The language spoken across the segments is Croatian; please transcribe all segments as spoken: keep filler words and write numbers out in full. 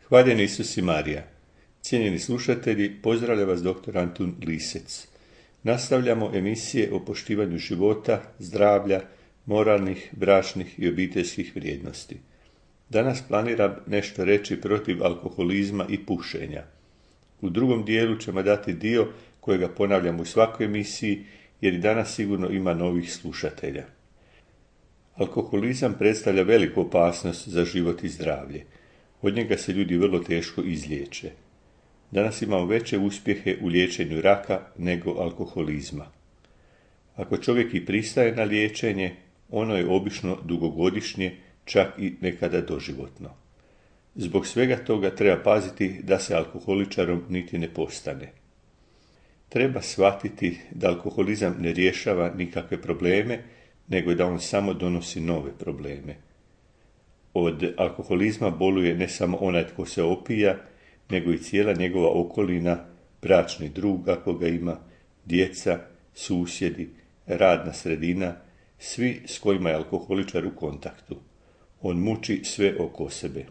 Hvaljen Isus i Marija. Cijenjeni slušatelji, pozdravlja vas doktor Antun Lisec. Nastavljamo emisije o poštivanju života, zdravlja, moralnih, bračnih i obiteljskih vrijednosti. Danas planiram nešto reći protiv alkoholizma i pušenja. U drugom dijelu ćemo dati dio kojega ponavljam u svakoj emisiji, jer i danas sigurno ima novih slušatelja. Alkoholizam predstavlja veliku opasnost za život i zdravlje. Od njega se ljudi vrlo teško izliječe. Danas imamo veće uspjehe u liječenju raka nego alkoholizma. Ako čovjek i pristaje na liječenje, ono je obično dugogodišnje, čak i nekada doživotno. Zbog svega toga treba paziti da se alkoholičarom niti ne postane. Treba shvatiti da alkoholizam ne rješava nikakve probleme, nego da on samo donosi nove probleme. Od alkoholizma boluje ne samo onaj tko se opija, nego i cijela njegova okolina, bračni drug ako ga ima, djeca, susjedi, radna sredina, svi s kojima je alkoholičar u kontaktu. On muči sve oko sebe.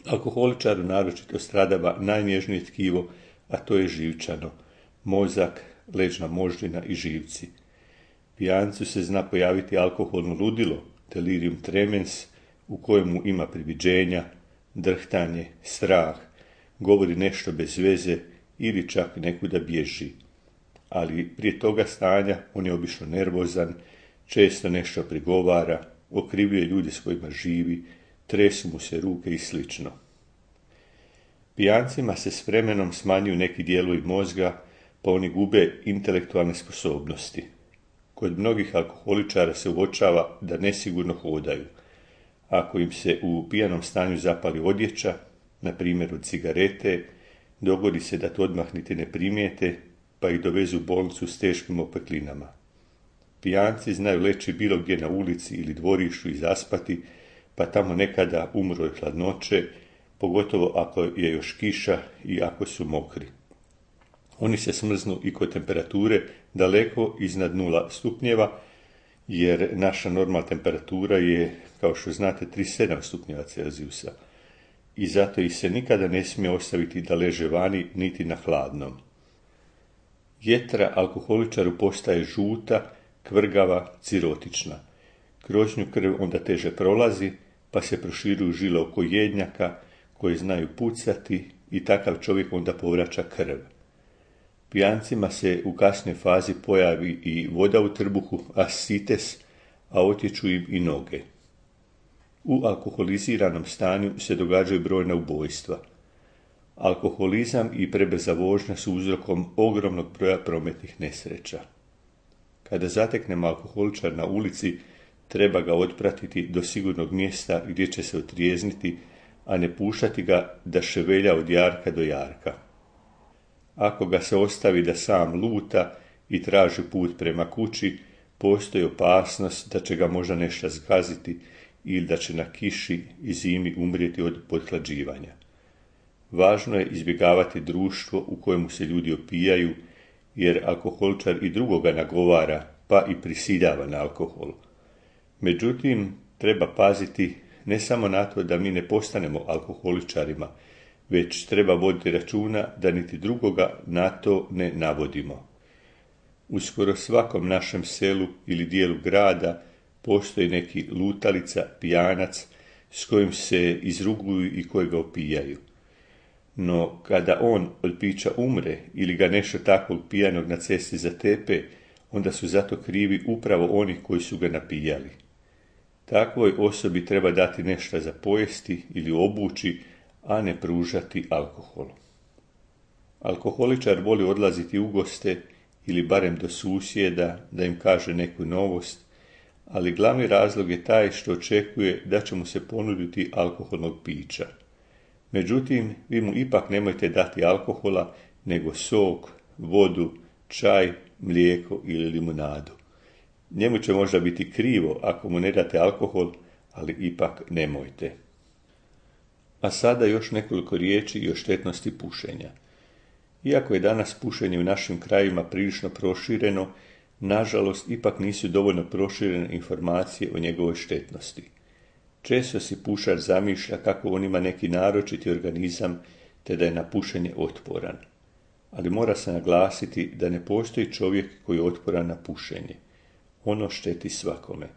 Alkoholičaru naročito stradava najnježnije tkivo, a to je živčano, mozak, leđna moždina i živci. Pijancu se zna pojaviti alkoholno ludilo, delirium tremens, u kojemu ima priviđenja, drhtanje, strah, govori nešto bez veze ili čak nekuda bježi. Ali prije toga stanja on je obično nervozan, često nešto prigovara, okrivljuje ljude s kojima živi, tresu mu se ruke i slično. Pijancima se s vremenom smanjuju neki dijelovi mozga, pa oni gube intelektualne sposobnosti. Kod mnogih alkoholičara se uočava da nesigurno hodaju. Ako im se u pijanom stanju zapali odjeća, na primjer od cigarete, dogodi se da to odmah niti ne primijete, pa ih dovezu u bolnicu s teškim opeklinama. Pijanci znaju leći bilo gdje na ulici ili dvorištu i zaspati, pa tamo nekada umru od hladnoće, pogotovo ako je još kiša i ako su mokri. Oni se smrznu i kod temperature daleko iznad nula stupnjeva, jer naša normalna temperatura je, kao što znate, trideset sedam stupnjeva Celzijusa. I zato ih se nikada ne smije ostaviti da leže vani niti na hladnom. Jetra alkoholičaru postaje žuta, kvrgava, cirotična. Kroz nju krv onda teže prolazi, pa se proširuju žile oko jednjaka koje znaju pucati i takav čovjek onda povraća krv. Pijancima se u kasnoj fazi pojavi i voda u trbuhu, asites, a otječu im i noge. U alkoholiziranom stanju se događaju brojna ubojstva. Alkoholizam i prebrza vožnja su uzrokom ogromnog broja prometnih nesreća. Kada zateknemo alkoholičar na ulici, treba ga otpratiti do sigurnog mjesta gdje će se otrijezniti, a ne puštati ga da ševelja od jarka do jarka. Ako ga se ostavi da sam luta i traži put prema kući, postoji opasnost da će ga možda nešto zgaziti ili da će na kiši i zimi umrijeti od pothlađivanja. Važno je izbjegavati društvo u kojemu se ljudi opijaju, jer alkoholičar i drugoga nagovara, pa i prisiljava na alkohol. Međutim, treba paziti ne samo na to da mi ne postanemo alkoholičarima, već treba voditi računa da niti drugoga na to ne navodimo. U skoro svakom našem selu ili dijelu grada postoji neki lutalica, pijanac, s kojim se izruguju i kojega opijaju. No, kada on od pića umre ili ga nešto takvog pijanog na cesti zatepe, onda su zato krivi upravo oni koji su ga napijali. Takvoj osobi treba dati nešto za pojesti ili obući, a ne pružati alkohol. Alkoholičar voli odlaziti u goste ili barem do susjeda da im kaže neku novost, ali glavni razlog je taj što očekuje da će mu se ponuditi alkoholnog pića. Međutim, vi mu ipak nemojte dati alkohola, nego sok, vodu, čaj, mlijeko ili limunadu. Njemu će možda biti krivo ako mu ne date alkohol, ali ipak nemojte. A sada još nekoliko riječi i o štetnosti pušenja. Iako je danas pušenje u našim krajima prilično prošireno, nažalost ipak nisu dovoljno proširene informacije o njegovoj štetnosti. Često si pušač zamišlja kako on ima neki naročiti organizam te da je na pušenje otporan. Ali mora se naglasiti da ne postoji čovjek koji je otporan na pušenje. Ono šteti svakome.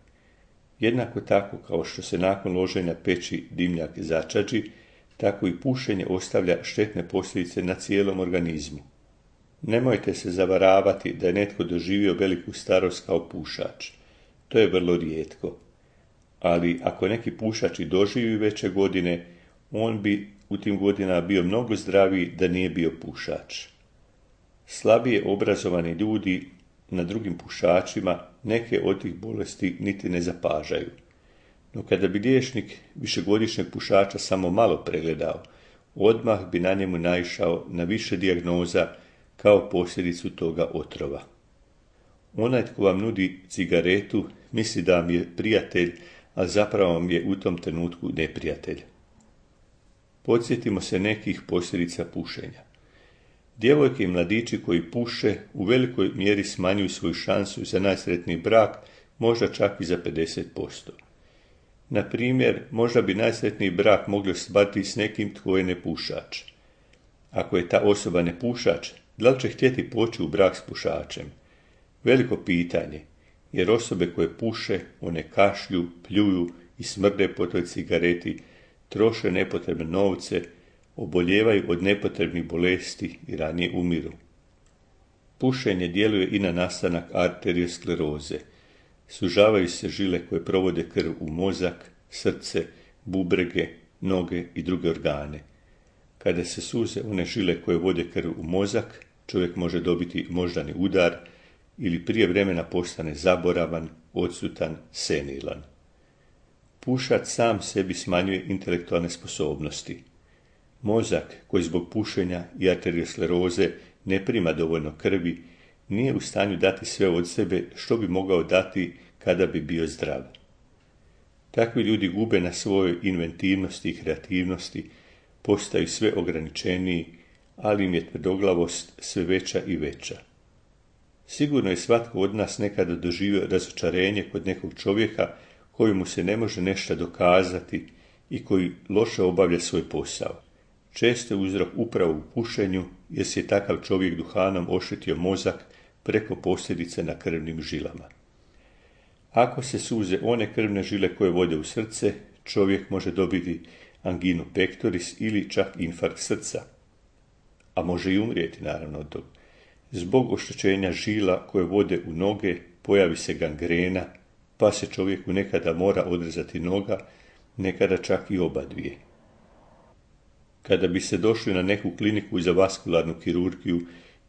Jednako tako kao što se nakon loženja peći dimnjak začađi, tako i pušenje ostavlja štetne posljedice na cijelom organizmu. Nemojte se zavaravati da je netko doživio veliku starost kao pušač. To je vrlo rijetko. Ali ako neki pušač i doživi veće godine, on bi u tim godinama bio mnogo zdraviji da nije bio pušač. Slabije obrazovani ljudi na drugim pušačima neke od tih bolesti niti ne zapažaju. No kada bi liječnik višegodišnjeg pušača samo malo pregledao, odmah bi na njemu naišao na više dijagnoza kao posljedicu toga otrova. Onaj tko vam nudi cigaretu misli da vam je prijatelj, a zapravo vam je u tom trenutku neprijatelj. Podsjetimo se nekih posljedica pušenja. Djevojke i mladići koji puše u velikoj mjeri smanjuju svoju šansu za najsretniji brak, možda čak i za pedeset posto. Na primjer, možda bi najsretniji brak mogli ostvariti s nekim tko je nepušač. Ako je ta osoba nepušač, da li će htjeti poći u brak s pušačem? Veliko pitanje, jer osobe koje puše, one kašlju, pljuju i smrde po toj cigareti, troše nepotrebne novce, oboljevaju od nepotrebnih bolesti i ranije umiru. Pušenje djeluje i na nastanak arterioskleroze. Sužavaju se žile koje provode krv u mozak, srce, bubrege, noge i druge organe. Kada se suze one žile koje vode krv u mozak, čovjek može dobiti moždani udar ili prije vremena postane zaboravan, odsutan, senilan. Pušač sam sebi smanjuje intelektualne sposobnosti. Mozak koji zbog pušenja i arterioskleroze ne prima dovoljno krvi, nije u stanju dati sve od sebe što bi mogao dati kada bi bio zdrav. Takvi ljudi gube na svojoj inventivnosti i kreativnosti, postaju sve ograničeniji, ali im je tvrdoglavost sve veća i veća. Sigurno je svatko od nas nekada doživio razočarenje kod nekog čovjeka kojemu se ne može nešto dokazati i koji loše obavlja svoj posao. Često je uzrok upravo u pušenju, jer se je takav čovjek duhanom oštetio mozak preko posljedice na krvnim žilama. Ako se suze one krvne žile koje vode u srce, čovjek može dobiti anginu pectoris ili čak infarkt srca. A može i umrijeti, naravno, od toga. Zbog oštećenja žila koje vode u noge, pojavi se gangrena, pa se čovjeku nekada mora odrezati noga, nekada čak i oba dvije. Kada bi se došli na neku kliniku za vaskularnu kirurgiju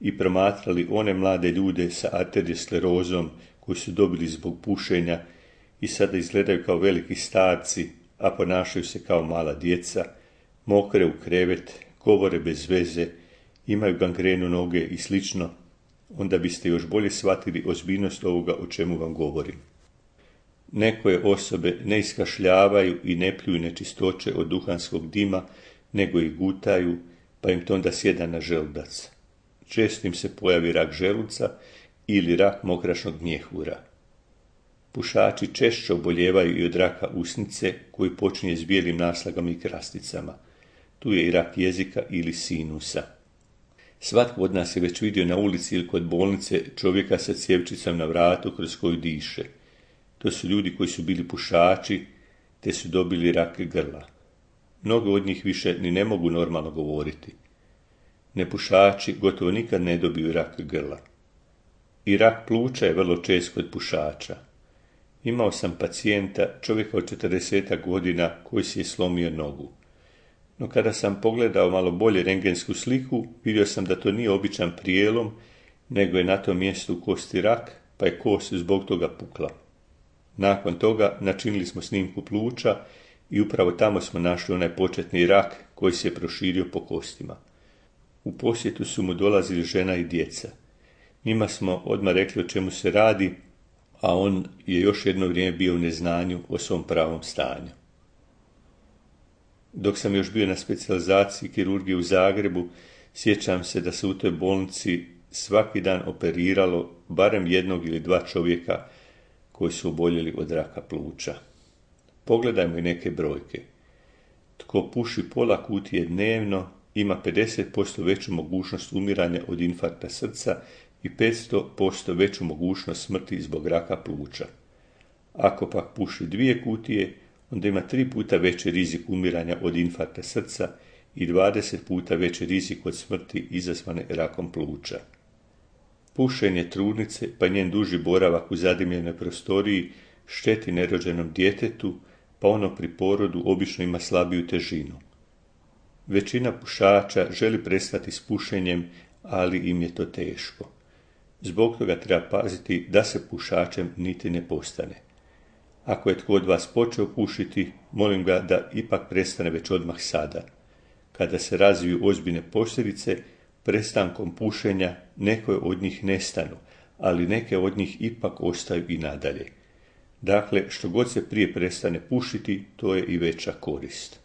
i promatrali one mlade ljude sa arteriosklerozom koji su dobili zbog pušenja i sada izgledaju kao veliki starci, a ponašaju se kao mala djeca, mokre u krevet, govore bez veze, imaju gangrenu noge i slično, onda biste još bolje shvatili ozbiljnost ovoga o čemu vam govorim. Nekoje osobe ne iskašljavaju i ne pljuju nečistoće od duhanskog dima, nego ih gutaju, pa im to onda sjeda na želudac. Često im se pojavi rak želuca ili rak mokrašnog mjehura. Pušači češće oboljevaju i od raka usnice, koji počinje s bijelim naslagama i krasticama. Tu je i rak jezika ili sinusa. Svatko od nas je već vidio na ulici ili kod bolnice čovjeka sa cjevčicom na vratu kroz koju diše. To su ljudi koji su bili pušači, te su dobili rak grla. Mnogo od njih više ni ne mogu normalno govoriti. Nepušači gotovo nikad ne dobiju rak grla. I rak pluća je vrlo čest kod pušača. Imao sam pacijenta, čovjeka od četrdeset godina, koji si je slomio nogu. No kada sam pogledao malo bolje rentgensku sliku, vidio sam da to nije običan prijelom, nego je na tom mjestu kosti rak, pa je kost zbog toga pukla. Nakon toga načinili smo snimku pluća i upravo tamo smo našli onaj početni rak koji se je proširio po kostima. U posjetu su mu dolazili žena i djeca. Njima smo odmah rekli o čemu se radi, a on je još jedno vrijeme bio u neznanju o svom pravom stanju. Dok sam još bio na specijalizaciji kirurgije u Zagrebu, sjećam se da se u toj bolnici svaki dan operiralo barem jednog ili dva čovjeka koji su oboljeli od raka pluća. Pogledajmo i neke brojke. Tko puši pola kutije dnevno ima pedeset posto veću mogućnost umiranja od infarkta srca i petsto posto veću mogućnost smrti zbog raka pluća. Ako pak puši dvije kutije, onda ima tri puta veći rizik umiranja od infarkta srca i dvadeset puta veći rizik od smrti izazvane rakom pluća. Pušenje trudnice pa njen duži boravak u zadimljenoj prostoriji šteti nerođenom djetetu, pa ono pri porodu obično ima slabiju težinu. Većina pušača želi prestati s pušenjem, ali im je to teško. Zbog toga treba paziti da se pušačem niti ne postane. Ako je tko od vas počeo pušiti, molim ga da ipak prestane već odmah sada. Kada se razviju ozbiljne posljedice, prestankom pušenja neke od njih nestanu, ali neke od njih ipak ostaju i nadalje. Dakle, što god se prije prestane pušiti, to je i veća korist.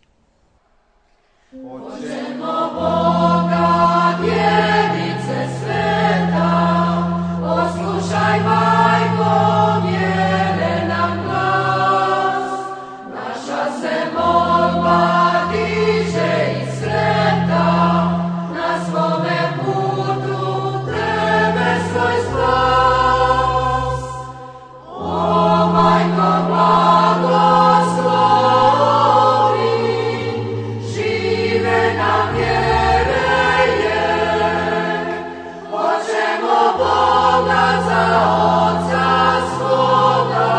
Očemo Boga, djevice sveta, poslušaj majko, vjere nam glas. Naša se molba diže i sreta, na svome putu tebe svoj spas. O majko blagoslovi, žive nam vjere je. Hoćemo Boga za oca svoga,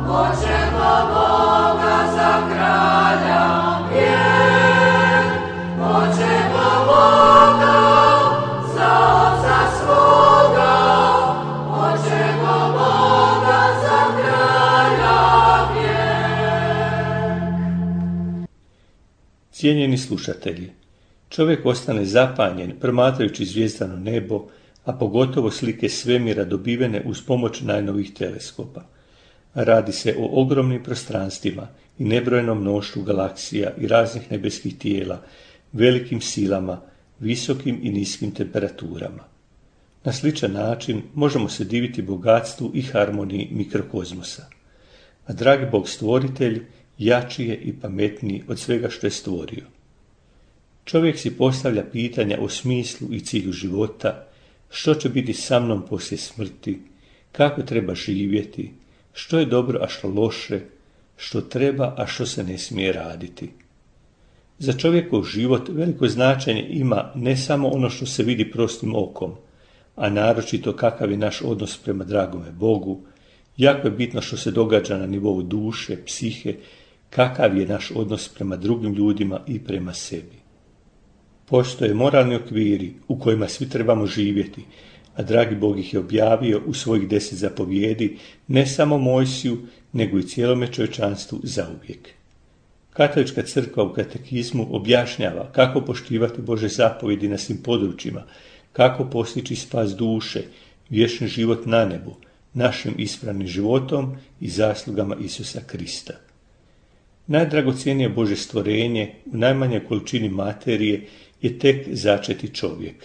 hoćemo Boga za kralja vjer. Hoćemo Boga za oca svoga, hoćemo Boga za kralja vjer. Cijenjeni slušatelji, čovjek ostane zapanjen promatrajući zvijezdano nebo, a pogotovo slike svemira dobivene uz pomoć najnovih teleskopa. Radi se o ogromnim prostranstvima i nebrojenom mnoštvu galaksija i raznih nebeskih tijela, velikim silama, visokim i niskim temperaturama. Na sličan način možemo se diviti bogatstvu i harmoniji mikrokozmosa. A dragi Bog stvoritelj jači je i pametniji od svega što je stvorio. Čovjek si postavlja pitanja o smislu i cilju života, što će biti sa mnom poslije smrti, kako treba živjeti, što je dobro, a što loše, što treba, a što se ne smije raditi. Za čovjekov život veliko značenje ima ne samo ono što se vidi prostim okom, a naročito kakav je naš odnos prema dragome Bogu, jako je bitno što se događa na nivou duše, psihe, kakav je naš odnos prema drugim ljudima i prema sebi. Postoje moralni okviri u kojima svi trebamo živjeti, a dragi Bog ih je objavio u svojih deset zapovjedi ne samo Mojsiju, nego i cijelome čovječanstvu zauvijek. Katolička crkva u katekizmu objašnjava kako poštivati Bože zapovjedi na svim područjima, kako postići spas duše, vječni život na nebu, našim ispravnim životom i zaslugama Isusa Krista. Najdragocjenije Bože stvorenje u najmanjoj količini materije je tek začeti čovjek,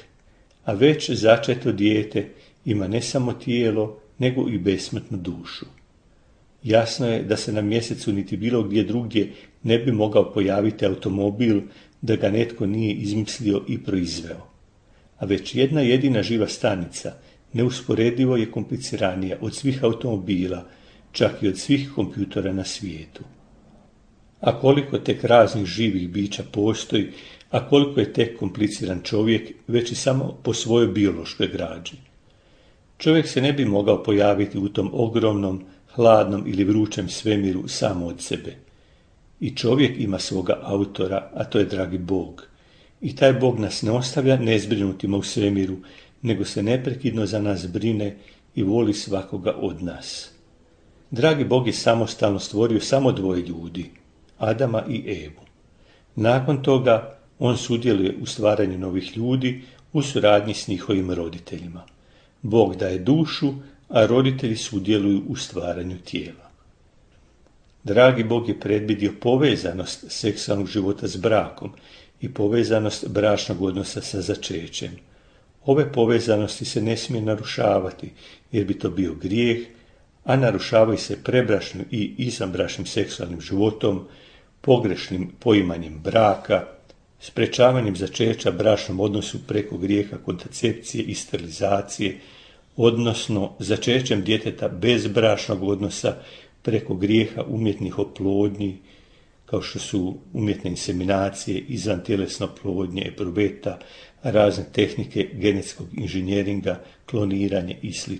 a već začeto dijete ima ne samo tijelo, nego i besmrtnu dušu. Jasno je da se na mjesecu niti bilo gdje drugdje ne bi mogao pojaviti automobil da ga netko nije izmislio i proizveo. A već jedna jedina živa stanica neusporedivo je kompliciranija od svih automobila, čak i od svih kompjutora na svijetu. A koliko tek raznih živih bića postoji, a koliko je tek kompliciran čovjek već i samo po svojoj biološkoj građi. Čovjek se ne bi mogao pojaviti u tom ogromnom, hladnom ili vrućem svemiru samo od sebe. I čovjek ima svoga autora, a to je dragi Bog. I taj Bog nas ne ostavlja nezbrinutima u svemiru, nego se neprekidno za nas brine i voli svakoga od nas. Dragi Bog je samostalno stvorio samo dvoje ljudi, Adama i Evu. Nakon toga on sudjeluje u stvaranju novih ljudi u suradnji s njihovim roditeljima. Bog daje dušu, a roditelji sudjeluju u stvaranju tijela. Dragi Bog je predvidio povezanost seksualnog života s brakom i povezanost bračnog odnosa sa začećem. Ove povezanosti se ne smije narušavati, jer bi to bio grijeh, a narušavaju se prebrašnim i izvanbračnim seksualnim životom, pogrešnim poimanjem braka, sprečavanjem začeća bračnom odnosu preko grijeha kontracepcije i sterilizacije, odnosno začećem djeteta bez bračnog odnosa preko grijeha umjetnih oplodnji, kao što su umjetne inseminacije, izvantjelesne oplodnje, eprubeta, razne tehnike genetskog inženjeringa, kloniranje i sl.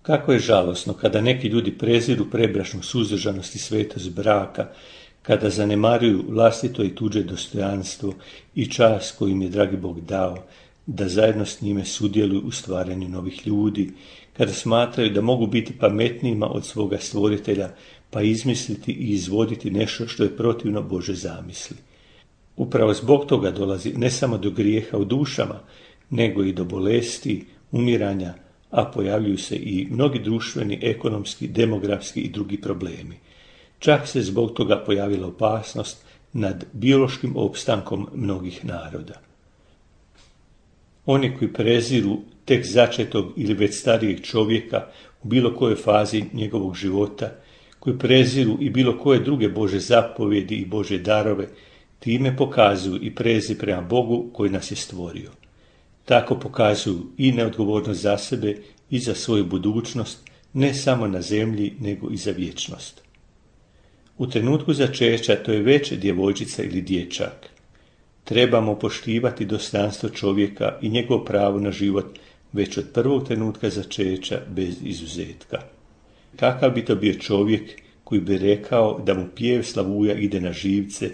Kako je žalosno kada neki ljudi preziru prebračnu suzdržanost i svetost braka, kada zanemaruju vlastito i tuđe dostojanstvo i čast koju im je dragi Bog dao, da zajedno s njime sudjeluju u stvaranju novih ljudi, kada smatraju da mogu biti pametnijima od svoga stvoritelja, pa izmisliti i izvoditi nešto što je protivno Bože zamisli. Upravo zbog toga dolazi ne samo do grijeha u dušama, nego i do bolesti, umiranja, a pojavljuju se i mnogi društveni, ekonomski, demografski i drugi problemi. Čak se zbog toga pojavila opasnost nad biološkim opstankom mnogih naroda. Oni koji preziru tek začetog ili već starijeg čovjeka u bilo kojoj fazi njegovog života, koji preziru i bilo koje druge Bože zapovjedi i Bože darove, time pokazuju i prezir prema Bogu koji nas je stvorio. Tako pokazuju i neodgovornost za sebe i za svoju budućnost, ne samo na zemlji, nego i za vječnost. U trenutku začeća to je već djevojčica ili dječak. Trebamo poštivati dostojanstvo čovjeka i njegovo pravo na život već od prvog trenutka začeća bez izuzetka. Kakav bi to bio čovjek koji bi rekao da mu pjev slavuja ide na živce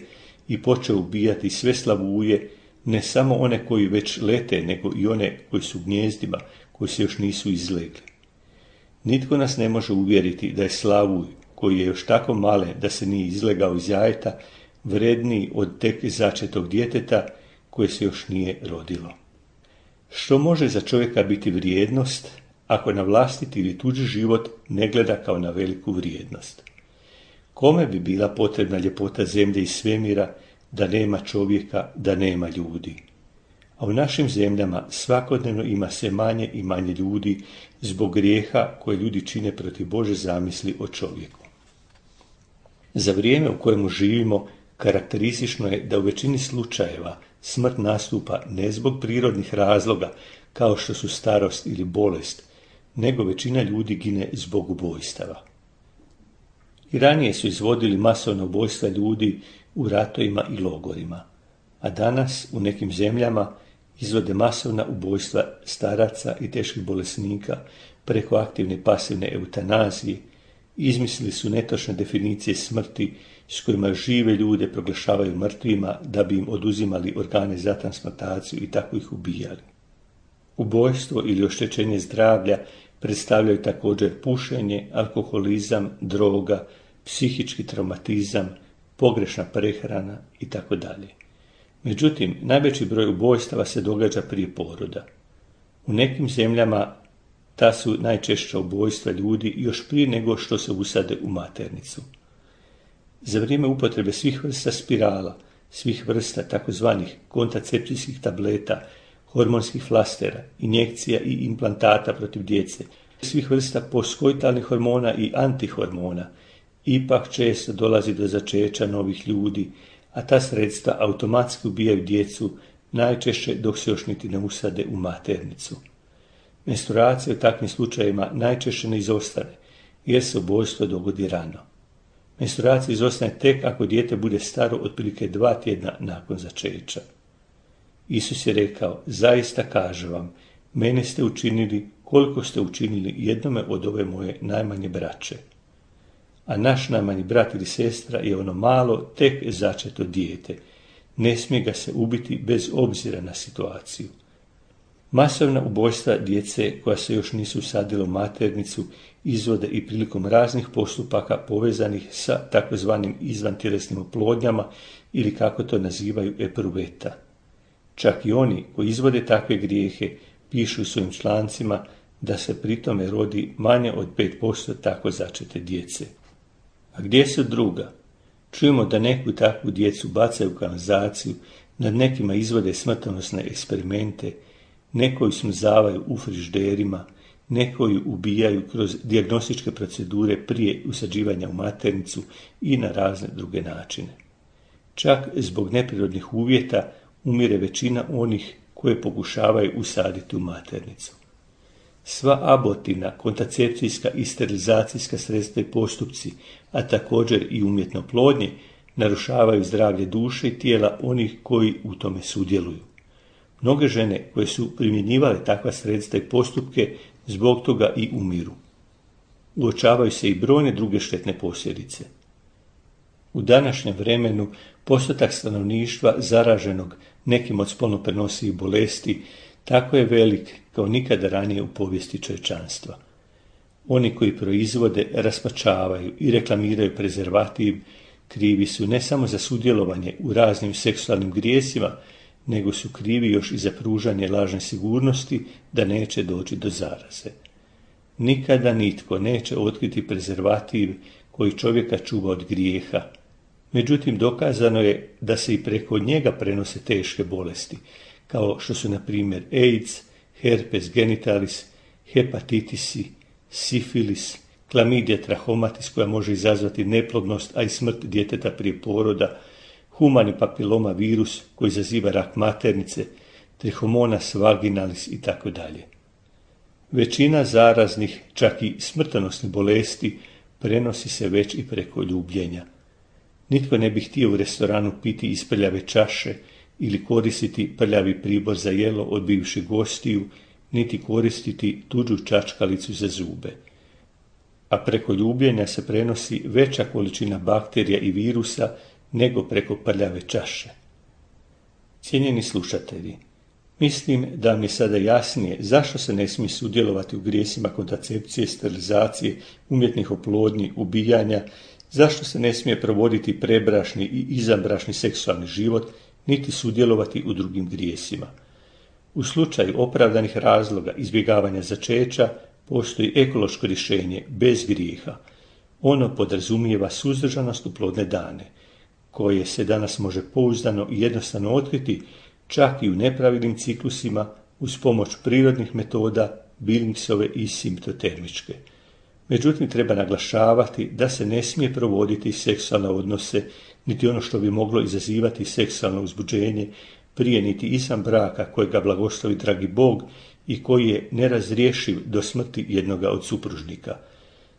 i počeo ubijati sve slavuje, ne samo one koji već lete, nego i one koji su u gnjezdima, koji se još nisu izlegli. Nitko nas ne može uvjeriti da je slavuj, koji je još tako malen da se nije izlegao iz jajeta, vredniji od tek začetog djeteta koje se još nije rodilo. Što može za čovjeka biti vrijednost ako na vlastiti ili tuđi život ne gleda kao na veliku vrijednost? Kome bi bila potrebna ljepota zemlje i svemira da nema čovjeka, da nema ljudi? A u našim zemljama svakodnevno ima sve manje i manje ljudi zbog grijeha koje ljudi čine protiv Bože zamisli o čovjeku. Za vrijeme u kojemu živimo karakteristično je da u većini slučajeva smrt nastupa ne zbog prirodnih razloga kao što su starost ili bolest, nego većina ljudi gine zbog ubojstava. I ranije su izvodili masovna ubojstva ljudi u ratovima i logorima, a danas u nekim zemljama izvode masovna ubojstva staraca i teških bolesnika preko aktivne i pasivne eutanazije, izmislili su netočne definicije smrti s kojima žive ljude proglašavaju mrtvima da bi im oduzimali organe za transplantaciju i tako ih ubijali. Ubojstvo ili oštećenje zdravlja predstavljaju također pušenje, alkoholizam, droga, psihički traumatizam, pogrešna prehrana itd. Međutim, najveći broj ubojstava se događa prije poroda. U nekim zemljama ta su najčešća ubojstva ljudi još prije nego što se usade u maternicu. Za vrijeme upotrebe svih vrsta spirala, svih vrsta takozvanih kontracepcijskih tableta, hormonskih flastera, injekcija i implantata protiv djece, svih vrsta postkoitalnih hormona i antihormona, ipak često dolazi do začeća novih ljudi, a ta sredstva automatski ubijaju djecu, najčešće dok se još niti ne usade u maternicu. Menstruacija u takvim slučajevima najčešće ne izostane, jer se ubojstvo dogodi rano. Menstruacija izostane tek ako dijete bude staro otprilike dva tjedna nakon začeća. Isus je rekao, zaista kažem vam, mene ste učinili koliko ste učinili jednome od ove moje najmanje braće. A naš najmanji brat ili sestra je ono malo, tek začeto dijete. Ne smije ga se ubiti bez obzira na situaciju. Masovna ubojstva djece koja se još nisu usadila u maternicu izvode i prilikom raznih postupaka povezanih sa takozvanim izvantjelesnim oplodnjama ili kako to nazivaju eprubeta. Čak i oni koji izvode takve grijehe pišu u svojim člancima da se pritome rodi manje od pet posto tako začete djece. A gdje su druga? Čujemo da neku takvu djecu bacaju u kanalizaciju, nad nekima izvode smrtonosne eksperimente, nekoju smrzavaju u frižderima, neko ju ubijaju kroz dijagnostičke procedure prije usađivanja u maternicu i na razne druge načine. Čak zbog neprirodnih uvjeta umire većina onih koje pokušavaju usaditi u maternicu. Sva abortivna, kontracepcijska i sterilizacijska sredstva i postupci, a također i umjetno oplodnje, narušavaju zdravlje duše i tijela onih koji u tome sudjeluju. Mnoge žene koje su primjenjivale takva sredstva i postupke zbog toga i umiru. Uočavaju se i brojne druge štetne posljedice. U današnjem vremenu postotak stanovništva zaraženog nekim od spolno prenosivih bolesti tako je velik kao nikada ranije u povijesti čovječanstva. Oni koji proizvode, raspačavaju i reklamiraju prezervativ krivi su ne samo za sudjelovanje u raznim seksualnim grijesima, nego su krivi još i za pružanje lažne sigurnosti da neće doći do zaraze. Nikada nitko neće otkriti prezervativ koji čovjeka čuva od grijeha. Međutim, dokazano je da se i preko njega prenose teške bolesti, kao što su na primjer AIDS, herpes genitalis, hepatitisi, sifilis, klamidija trachomatis koja može izazvati neplodnost, a i smrt djeteta prije poroda, humani papiloma virus koji izaziva rak maternice, trichomonas vaginalis itd. Većina zaraznih, čak i smrtonosnih bolesti prenosi se već i preko ljubljenja. Nitko ne bi htio u restoranu piti iz prljave čaše ili koristiti prljavi pribor za jelo od bivših gostiju, niti koristiti tuđu čačkalicu za zube. A preko ljubljenja se prenosi veća količina bakterija i virusa nego preko prljave čaše. Cijenjeni slušatelji, mislim da mi je sada jasnije zašto se ne smije sudjelovati u grijesima kontracepcije, sterilizacije, umjetnih oplodnji, ubijanja, zašto se ne smije provoditi prebrašni i izvanbrašni seksualni život, niti sudjelovati u drugim grijesima. U slučaju opravdanih razloga izbjegavanja začeća postoji ekološko rješenje bez grijeha. Ono podrazumijeva suzdržanost u plodne dane, koje se danas može pouzdano i jednostavno otkriti čak i u nepravilnim ciklusima uz pomoć prirodnih metoda, Billingsove i simptotermičke. Međutim, treba naglašavati da se ne smije provoditi seksualne odnose, niti ono što bi moglo izazivati seksualno uzbuđenje, prije niti izvan braka kojega blagoslovi dragi Bog i koji je nerazriješiv do smrti jednoga od supružnika.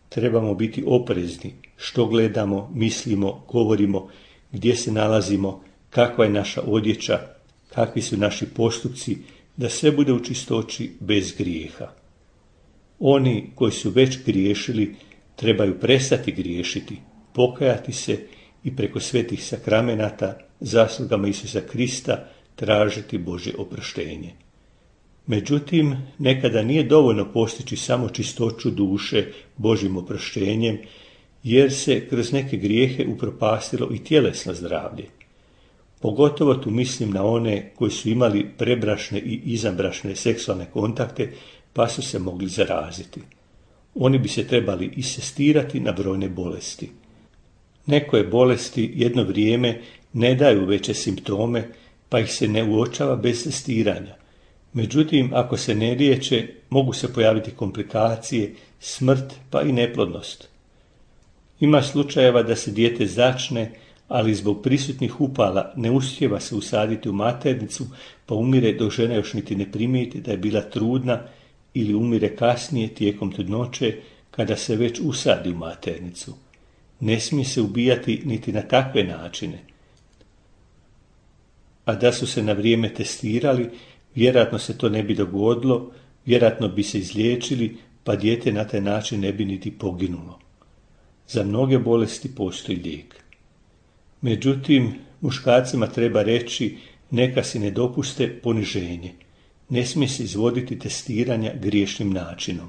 Trebamo biti oprezni što gledamo, mislimo, govorimo, gdje se nalazimo, kakva je naša odjeća, kakvi su naši postupci, da sve bude u čistoći bez grijeha. Oni koji su već griješili trebaju prestati griješiti, pokajati se i preko svetih sakramenata, zaslugama Isusa Krista, tražiti Božje oproštenje. Međutim, nekada nije dovoljno postići samo čistoću duše Božjim oproštenjem, jer se kroz neke grijehe upropastilo i tjelesno zdravlje. Pogotovo tu mislim na one koji su imali prebrašne i izvanbrašne seksualne kontakte, pa su se mogli zaraziti. Oni bi se trebali isestirati na brojne bolesti. Nekoje bolesti jedno vrijeme ne daju veće simptome, pa ih se ne uočava bez testiranja. Međutim, ako se ne liječe, mogu se pojaviti komplikacije, smrt pa i neplodnost. Ima slučajeva da se dijete začne, ali zbog prisutnih upala ne uspijeva se usaditi u maternicu, pa umire dok žena još niti ne primijeti da je bila trudna, ili umire kasnije tijekom trudnoće kada se već usadi u maternicu. Ne smije se ubijati niti na takve načine. A da su se na vrijeme testirali, vjerojatno se to ne bi dogodilo, vjerojatno bi se izliječili, pa dijete na taj način ne bi niti poginulo. Za mnoge bolesti postoji lijek. Međutim, muškarcima treba reći neka si ne dopuste poniženje. Ne smije se izvoditi testiranja griješnim načinom.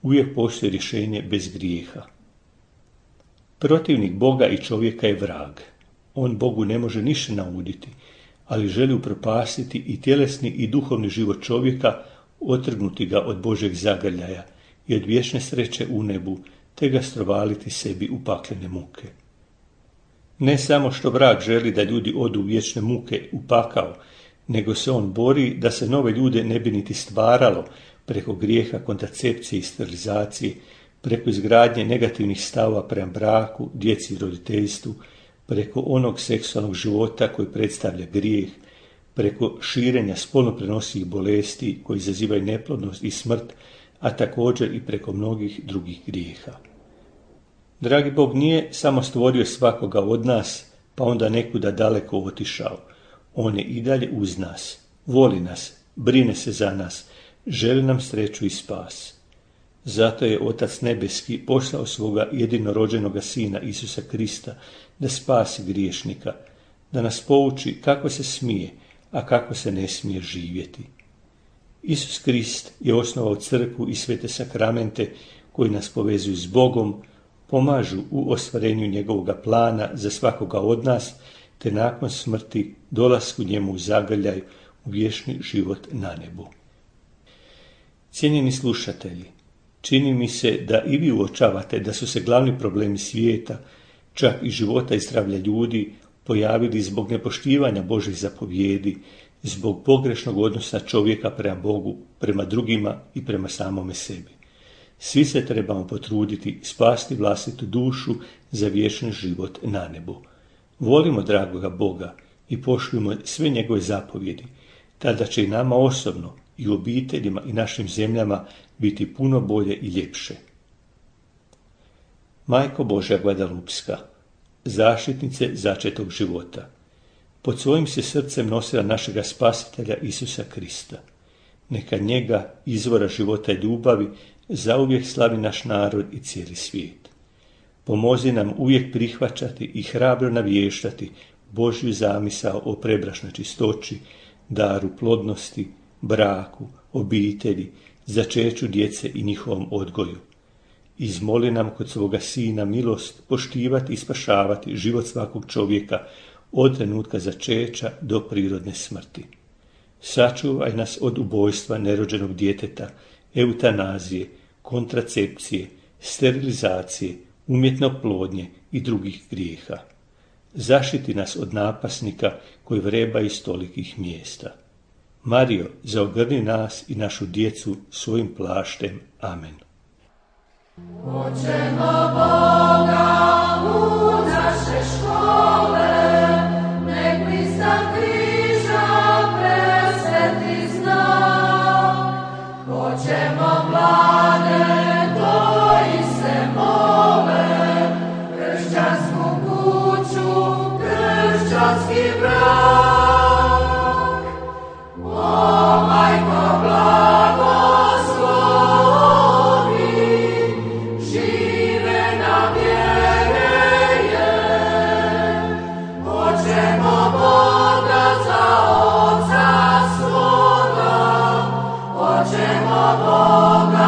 Uvijek postoji rješenje bez grijeha. Protivnik Boga i čovjeka je vrag. On Bogu ne može ništa nauditi, ali želi upropastiti i tjelesni i duhovni život čovjeka, otrgnuti ga od Božjeg zagrljaja i od vječne sreće u nebu, te ga strovaliti sebi u paklene muke. Ne samo što vrag želi da ljudi odu u vječne muke u pakao, nego se on bori da se nove ljude ne bi niti stvaralo, preko grijeha kontracepcije i sterilizacije, preko izgradnje negativnih stavova prema braku, djeci i roditeljstvu, preko onog seksualnog života koji predstavlja grijeh, preko širenja spolno prenosivih bolesti koji izazivaju neplodnost i smrt, a također i preko mnogih drugih grijeha. Dragi Bog nije samo stvorio svakoga od nas, pa onda nekuda daleko otišao. On je i dalje uz nas, voli nas, brine se za nas, želi nam sreću i spas. Zato je Otac Nebeski poslao svoga jedinorođenoga Sina Isusa Krista da spasi griješnika, da nas pouči kako se smije, a kako se ne smije živjeti. Isus Krist je osnovao crkvu i svete sakramente koji nas povezuju s Bogom, pomažu u ostvarenju njegovoga plana za svakoga od nas, te nakon smrti dolasku njemu u zagrljaj u vječni život na nebu. Cijenjeni slušatelji, čini mi se da i vi uočavate da su se glavni problemi svijeta, čak i života i zdravlja ljudi, pojavili zbog nepoštivanja Božih zapovjedi, zbog pogrešnog odnosa čovjeka prema Bogu, prema drugima i prema samome sebi. Svi se trebamo potruditi spasti vlastitu dušu za vječni život na nebu. Volimo dragoga Boga i poštujemo sve njegove zapovjedi, tada će i nama osobno i u obiteljima i našim zemljama biti puno bolje i ljepše. Majko Božja Guadalupska, zaštitnice začetog života, pod svojim se srcem nosila našega spasitelja Isusa Krista. Neka njega, izvora života i ljubavi, zauvijek slavi naš narod i cijeli svijet. Pomozi nam uvijek prihvaćati i hrabro navještati Božju zamisao o prebračnoj čistoći, daru plodnosti, braku, obitelji, začeću djece i njihovom odgoju. Izmoli nam kod svoga Sina milost poštivati i spašavati život svakog čovjeka od trenutka začeća do prirodne smrti. Sačuvaj nas od ubojstva nerođenog djeteta, eutanazije, kontracepcije, sterilizacije, umjetne oplodnje i drugih grijeha. Zaštiti nas od napasnika koji vreba iz tolikih mjesta. Marijo, zaogrni nas i našu djecu svojim plaštem. Amen. Hoćemo Boga u naše škole, nek pristav križa presveti znak. Hoćemo mlade koji se mole, kršćansku kuću, kršćanski brak. O majko blagoslovi, žive nam vjereje. Hoćemo Boga za Oca svoga, hoćemo Boga